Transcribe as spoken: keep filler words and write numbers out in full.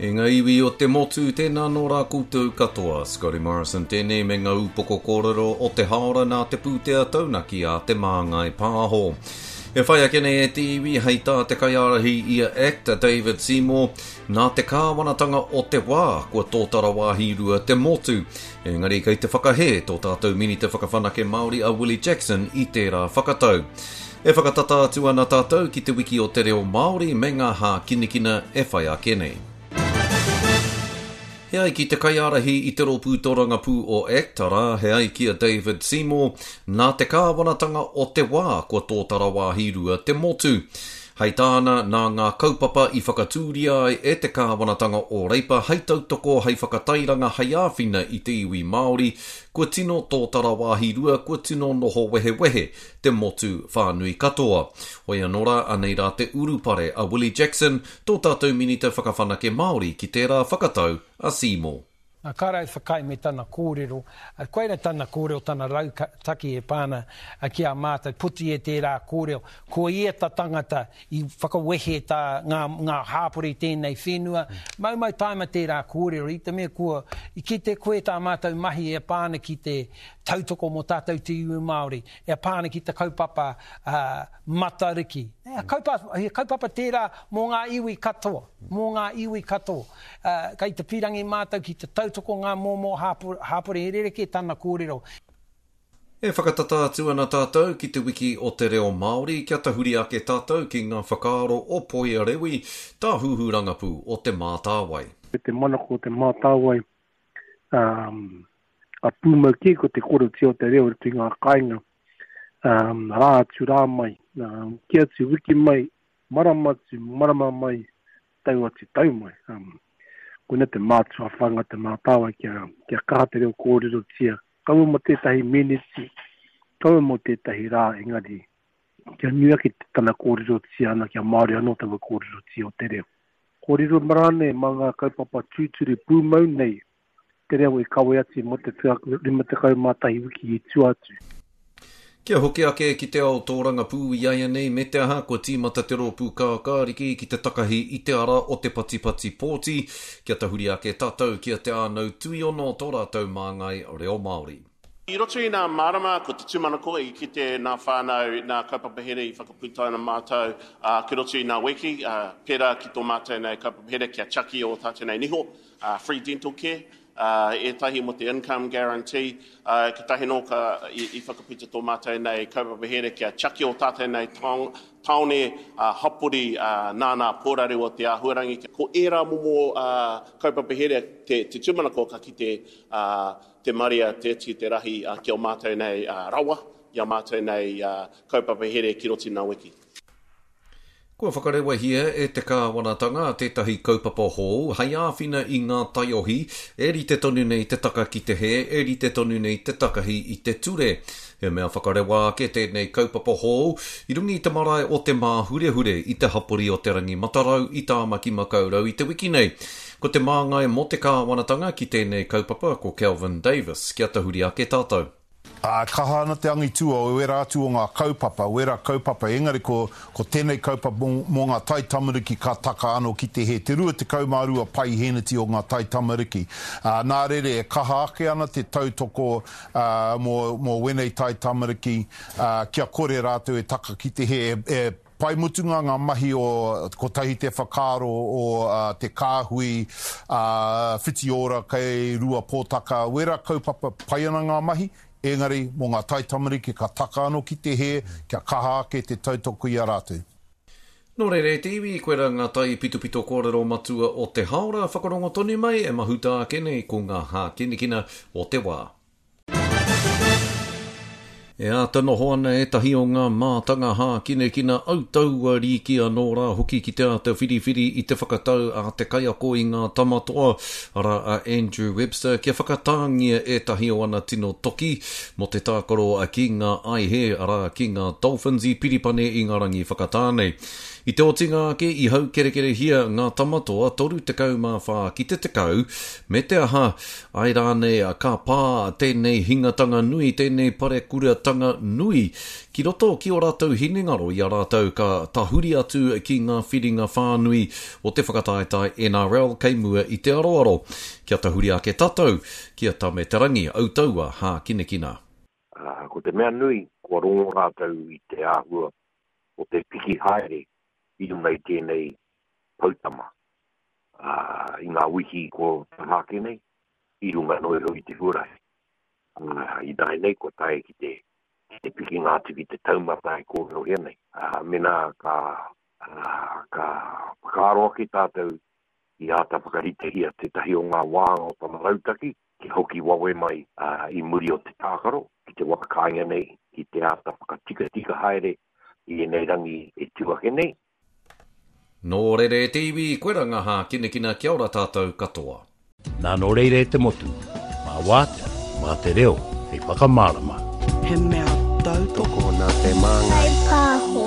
E ngā iwi o te motu, tēnā nō rā koutou katoa. Scotty Morrison tēnei me ngā upoko kōrero o te haora nā te pūtea taunaki a Te Māngai Pāho. E whai ake nei e te iwi hei tā te kaiārahi i a ACT, a David Seymour, nā te kāwanatanga o te wā kua tōtara wāhi rua te motu. Engari kei te whakahē tō tātou Minita Whakawhanake Māori a Willie Jackson i tērā whakatau. E whakatata atu ana tātou ki te wiki o te reo Māori me ngā hākinakina e whai ake nei. He ai ki te kaiārahi i te rōpū tōrangapū o ACT, arā, he ai ki a David Seymour, nā te kāwanatanga o te wā kua tōtara wāhi rua te motu. Hei tāna, nā ngā kaupapa i whakatūria ai e te kāwanatanga o Reipa hei tautoko, hei whakatairanga, hei āwhina i te iwi Māori, kua tino tōtara wāhi rua, kua tino noho wehewehe te motu whānui katoa. Hoi anō rā, anei rā te urupare a Willie Jackson, tō tātou Minita Whakawhanake Māori ki tērā whakatau a Seymour. Nā, kāre au whakaae me tana kōrero, koira tana kōrero, tana rautaki e pā ana ki a mātou, poti e tērā kōrero, ko ia ta tangata i whakawehe tā ngā, ngā hāpori tēnei whenua, maumau taima tērā kōrero, i te mea kua, i kite koe tā mātou mahi e pā ana ki te tautoko mō tātou te iwi Māori, e pā ana ki te kaupapa uh, Matariki. He kaupapa, he kaupapa tērā mō ngā iwi katoa, mō ngā iwi katoa. Uh, kei te pīrangi mātou ki te tautoko ngā momo hāpori, he rerekē tana kōrero. E whakatata atu ana tātou ki te wiki o te reo Māori, kia tahuri ake tātou ki ngā whakaaro o Poia Rewi, tāhuhu rangapū o Te Mātāwai. Te manako o Te Mātāwai, um, a pūmau kē ko te kōrerotia o te reo i roto i ngā kāinga, um, rā atu rā mai, um, ki atu wiki mai, marama atu, marama mai, tau atu tau mai. Um, koina te mātua whanga Te Mātāwai kia, kia kaha te reo kōrerotia, kaua mō tētahi meneti, kaua mō tētahi rā, engari kia nui ake tana kōrerotia ana, kia Māori anō taua kōrerotia o te reo. Kōrero rānei mā ngā kaupapa tūturu pūmau nei, te reo i kawe atu mō te rima tekau mā tahi wiki i tua atu. Kia hoki ake ki te ao tōrangapū i āianei me te aha kua tīmata te rōpū kākāriki ki te takahi i te ara o te patipati pōti, kia tahuri ake tātou ki a Te Ānau Tuiono tō rātou māngai reo Māori. I roto i ngā marama, ko te tūmanako i kite nā whānau, nā kaupapa here i whakaputaina mātou uh, ki roto i ngā wiki, uh, pērā ki tō mātou nei kaupapa here kia tiaki o tātou nei niho, uh, free dental care, uh, ētahi mō te income guarantee, uh, ki tahi nō ka i, i whakaputa tō mātou nei kaupapa here kia tiaki o tātou nei taone uh, hapori uh, nā nā pōraru o te āhuarangi. Ko ērā momo uh, kaupapa here te, te tūmanako ka kite uh, te marea, te iti, te rahi uh, ki o mātou nei uh, rawa, i a mātou nei uh, kaupapa here ki roto i ngā wiki. Kua whakarewahia e te kāwanatanga tētahi kaupapa hou hei āwhina i ngā taiohi e rite tonu nei te taka ki te hē, e rite tonu nei te takahi i te ture. He mea whakarewa ake tēnei kaupapa hou i runga i te marae o Te Māhurehure i te hapori o Te Rangi Matarau i Tāmaki Makaurau i te wiki nei. Ko te māngai mō te kāwanatanga ki tēnei kaupapa ko Kelvin Davis. Kia tahuri ake tātou. Ā, kaha ana te angitu o wērā atu o ngā kaupapa, wērā kaupapa, engari ko, ko tēnei kaupapa mō, mō ngā taitamariki ka taka anō ki te hē, te rua tekau mā rua paiheneti o ngā taitamariki. Ā, nā reira e kaha ake ana te tautoko, ā, mō, mō wēnei taitamariki, ā, kia kore rātou e taka ki te hē, e, e pai mutunga ngā mahi o Kotahi Te Whakaaro o te kāhui, ā, Whitiora kei Ruapōtaka, wērā kaupapa pai ana ngā mahi, engari mō ngā taitamariki ka taka anō ki te hē, kia kaha ake te tautoko i a rātou. Nō reira e te iwi, koirā ngā taipitopito kōrero matua o te haora, whakarongo tonu mai e mahuta ake nei ko ngā hākinakina o te wā. E āta noho ana ētahi o ngā mātanga hākinakina autaua rīki anō rā hoki ki te āta whiriwhiri i te whakatau a te kaiako i ngā tamatoa, arā a Andrew Webster, kia whakatāngia ētahi o ana tino toki mō te tākaro ki ngā aihe, arā ki ngā Dolphins i Piripane i ngā rangi whakatā nei. I te otinga ake i haukerekerehia ngā tamatoa toru tekau mā whā ki te tekau, me te aha, ai rānei ka pā tēnei hingatanga nui, tēnei parekura āhuatanga nui ki roto ki ō rātou hinengaro i a rātou ka tahuri atu ki ngā whiringa whānui o te whakataetae N R L kei mua i te aroaro. Kia tahuri ake tātou ki a Tame Te Rangi, Autaua Hākinakina. Uh, ko te mea nui, kua rongo rātou i te āhua o te piki haere i runga i tēnei poutama. Uh, I ngā wiki ko taha ake nei, i runga noa iho i te huarahi. Uh, I nāi nei kua tae ki te, ki te pikinga atu ki te taumata e kōrerohia nei. Uh, mena ka, uh, ka whakaaro ake tātou i āta whakaritehia tētahi o ngā wāhanga o tana rautaki, ki hoki wawe mai uh, i muri o te tākaro, ki te wā kāinga nei, ki te āta whakatikatika haere i ēnei rangi e tū ake nei. Nō reira e te iwi, koira ngā hākinakina, kia ora tātou katoa. Nā nō reira e te motu, mā wātea, mā te reo, hei whakamārama. He mea tautoko nā te māngai. Pāho.